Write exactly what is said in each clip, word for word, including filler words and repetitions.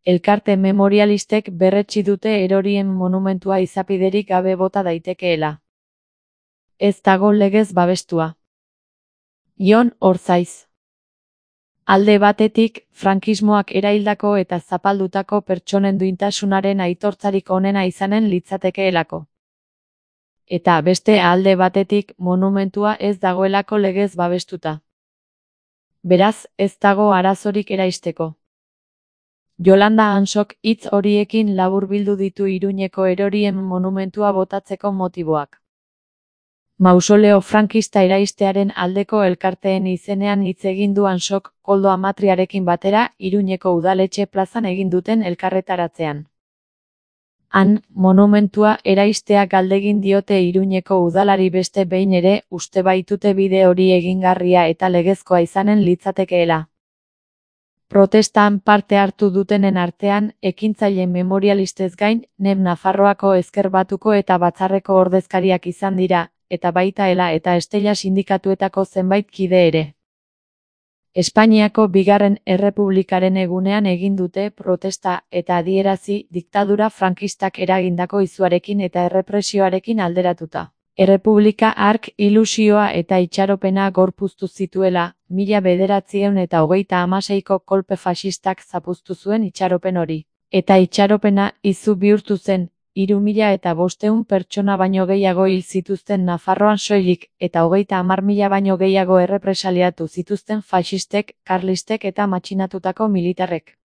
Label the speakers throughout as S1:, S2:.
S1: Elkarte memorialistek berretsi dute erorien monumentua izapiderik gabe bota daitekeela. Ez dago legez babestua. Jon Orzaiz. Alde batetik, frankismoak eraildako eta zapaldutako pertsonen duintasunaren aitortzarik onena izanen litzatekeelako. Eta beste alde batetik, monumentua ez dagoelako legez babestuta. Beraz, ez dago arazorik eraisteko. Yolanda Ansok hitz horiekin laburbildu ditu Iruñeko erorien monumentua botatzeko motiboak. Mausoleo frankista eraistearen aldeko elkarteen izenean hitz egin du Ansok Koldo Amatriarekin batera Iruñeko udaletxe plazan egin duten elkarretaratzean. Han, monumentua eraistea galdegin diote Iruñeko udalari beste behin ere uste baitute bide hori egingarria eta legezkoa izanen litzatekeela. Protestan parte hartu dutenen artean, ekintzaile memorialistez gain, Nem Nafarroako Ezker Batuko eta Batzarreko ordezkariak izan dira, eta baita Ela eta Estella sindikatuetako zenbait kide ere. Espainiako bigarren errepublikaren egunean egin dute protesta eta adierazi diktadura frankistak eragindako izuarekin eta errepresioarekin alderatuta. Errepublika hark ilusioa eta itxaropena gorpuztu zituela, mila bederatziehun eta hogeita hamaseiko kolpe faxistak zapuztu zuen itxaropen hori. Eta itxaropena izu bihurtu zen, hiru mila eta bostehun pertsona baino gehiago hil zituzten Nafarroan soilik, eta hogeita hamar mila baino gehiago errepresaliatu zituzten faxistek, karlistek eta matxinatutako militarrek.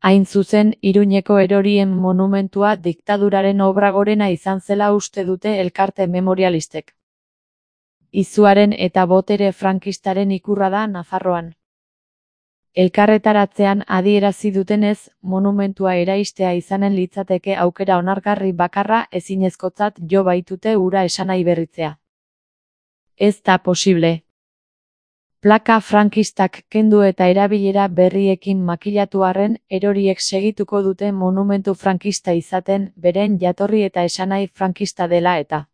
S1: Hain zuzen, Iruñeko erorien monumentua diktaduraren obra gorena izan zela uste dute elkarte memorialistek. Izuaren eta botere frankistaren ikurra da Nafarroan. Elkarretaratzean adierazi dutenez, monumentua eraistea izanen litzateke aukera onargarri bakarra ezinezkotzat jo baitute hura esanahi berritzea. Ez da posible. Plaka frankistak kendu eta erabilera berriekin makilatu arren, eroriek segituko dute monumentu frankista izaten, beren jatorri eta esanahi frankista dela eta.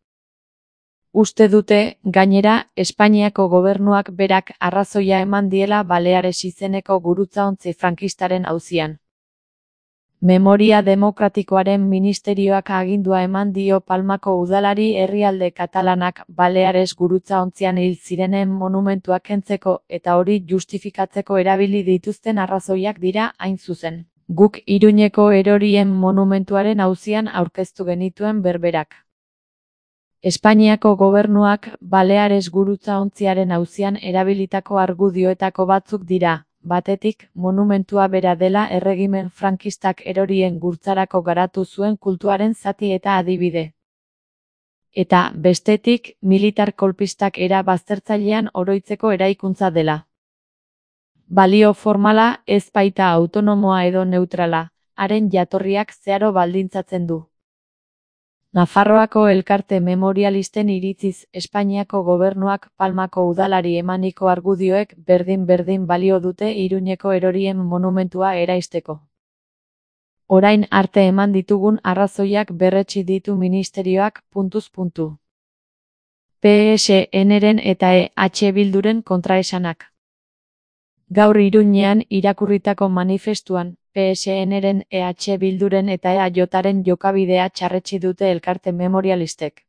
S1: Uste dute, gainera, Espainiako gobernuak berak arrazoia eman diela Baleares izeneko gurutzaontzi frankistaren auzian. Memoria Demokratikoaren Ministerioak agindua eman dio Palmako udalari herrialde katalanak Baleares gurutzaontzian hil zirenen monumentuak kentzeko eta hori justifikatzeko erabili dituzten arrazoiak dira hain zuzen. Guk Iruñeko erorien monumentuaren auzian aurkeztu genituen berberak. Espainiako gobernuak Baleares gurutzaontziaren auzian erabilitako argudioetako batzuk dira. Batetik, monumentua bera dela erregimen frankistak erorien gurtzarako garatu zuen kultuaren zati eta adibide. Eta, bestetik, militar kolpistak era baztertzailean oroitzeko eraikuntza dela. Balio formala ez baita autonomoa edo neutrala, haren jatorriak zeharo baldintzatzen du. Nafarroako elkarte memorialisten iritziz Espainiako gobernuak Palmako udalari emaniko argudioek berdin-berdin balio dute Iruñeko erorien monumentua eraisteko. Orain arte eman ditugun arrazoiak berretsi ditu ministerioak puntuz puntu. P S N-ren eta E H Bilduren kontraesanak. Gaur Iruñean irakurritako manifestuan, P S N-ren, E H Bilduren eta E A J-ren jokabidea txarretsi dute elkarte memorialistek.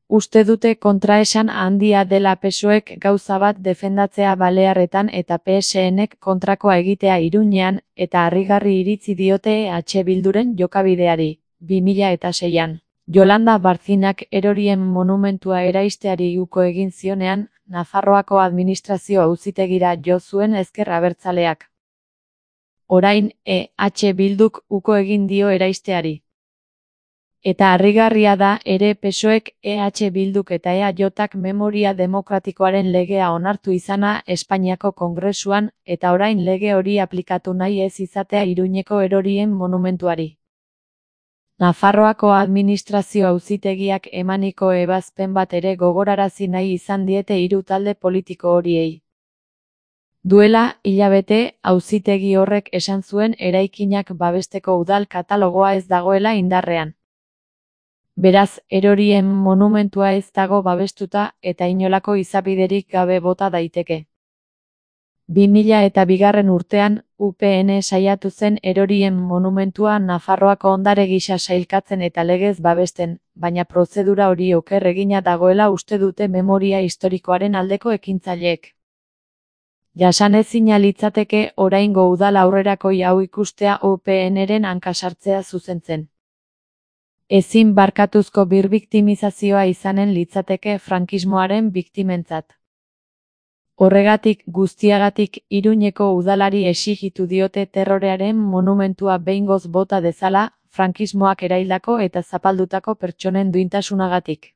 S1: Uste dute kontraesan handia dela P S O Ek gauza bat defendatzea Balearretan eta P S N-ek kontrakoa egitea Iruñean, eta harrigarri iritzi diote E H Bilduren jokabideari, bi mila eta seian. Yolanda Barzinak erorien monumentua eraisteari uko egin zionean, Nafarroako administrazio auzitegira jo zuen ezker abertzaleak. Orain, E H Bilduk uko egin dio eraisteari. Eta harrigarria da ere P S O Ek, E H Bilduk eta E A J-ak Memoria Demokratikoaren legea onartu izana Espainiako Kongresuan, eta orain lege hori aplikatu nahi ez izatea Iruñeko erorien monumentuari. Nafarroako administrazio auzitegiak emaniko ebazpen bat ere gogorarazi nahi izan diete hiru talde politiko horiei. Duela, hilabete, auzitegi horrek esan zuen eraikinak babesteko udal katalogoa ez dagoela indarrean. Beraz, erorien monumentua ez dago babestuta eta inolako izapiderik gabe bota daiteke. bi mila eta bigarren urtean, U P N saiatu zen erorien monumentua Nafarroako ondare gisa sailkatzen eta legez babesten, baina prozedura hori oker egina dagoela uste dute memoria historikoaren aldeko ekintzaileek. Jasanezina litzateke oraingo udal aurrerakoi hau ikustea U P N-ren hanka sartzea zuzentzen. Ezin barkatuzko birbiktimizazioa izanen litzateke frankismoaren biktimentzat. Horregatik guztiagatik Iruñeko udalari exijitu diote terrorearen monumentua behingoz bota dezala, frankismoak eraildako eta zapaldutako pertsonen duintasunagatik.